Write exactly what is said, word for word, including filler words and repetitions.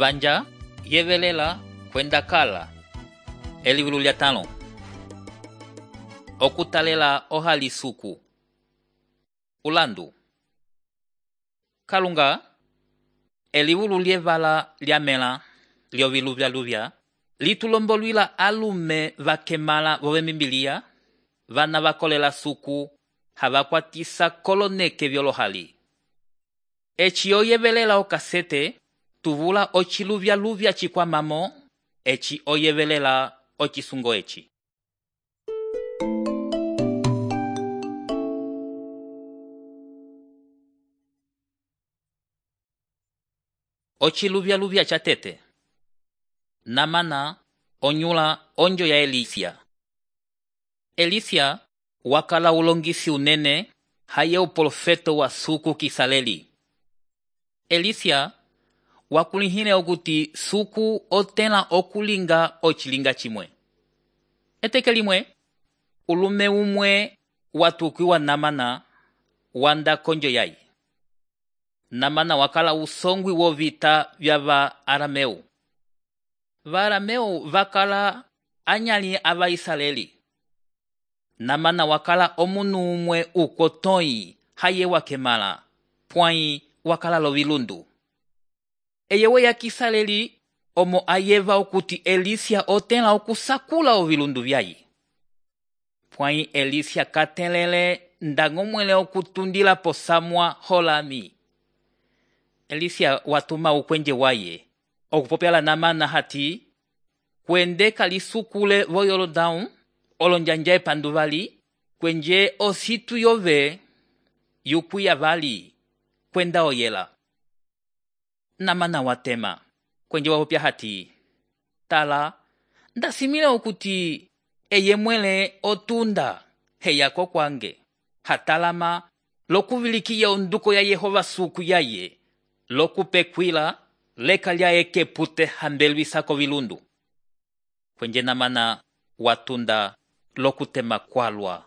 Vanja yevelela kwenda kala. Elivulu lya tano. Okutalela ohali suku. Ulandu. Kalunga, elivulu lievala liamela lioviluvya luvya, litulombolwila alume vakemala vove mimbilia, vana vakolela suku, havakwatisa koloneke vyolohali. Echi oyevelela okasete, tuvula ochiluvya luvya chikwa mamo, echi oyevelela ochisungo echi. Ochiluvya luvya chatete. Namana onyula onjo ya Elisia. Elisia wakala ulongisi unene haye uprofeto wa suku kisaleli. Elisia wakulihine okuti suku otela okulinga ochilinga chimwe. Eteke limwe, ulume umwe watukiwa Namana wanda konjo yai. Namana wakala usongwi wo vita vya va Arameu. Va Arameu vakala anyali ava Israeli. Namana wakala omunu umwe ukotoi haye wakemala, pwai wakala lovilundu. Eyewe ya Kisaleli omo ayeva okuti Elisia otela okusakula ovilundu vyai. Pwai Elisia katelele ndangomwele okutundila posamwa holami. Elisia watuma ukwenje waye, okupopyala Namana hati, kwende kalisukule vo Yorodaun, olonjanja epanduvali, kwenje ositu yove, yukuya vali, kwenda oyela. Namana watema, kwenje wapopya hati, tala, ndasimile okuti, eye mwele otunda, heyako kwange, hatalama, lokuvilikiya onduko ya Yehova suku yaye, lokupekwila, leka lya eke pute hambelwisako vilundu. Kwenje Namana watunda lokutema kwalwa.